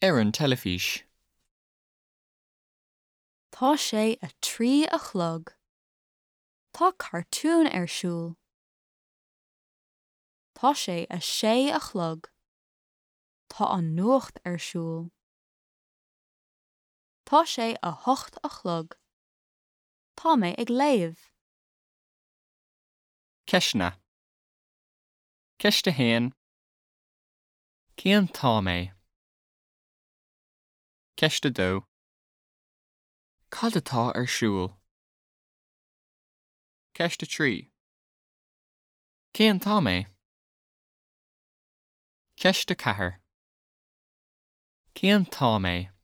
Ar an teilifís. Tá sé 3 a chlog. Tá cartún ar siúl. Tá sé 6 a chlog. Tá an nuacht ar siúl. Tá sé 8 a chlog. Tá mé ag léamh. Ceisteanna. Ceist 1. Cén t-am é? Ceist 2. Cad atá ar siúl? Ceist 3. Cén t-am é? Ceist 4. Cén t-am é?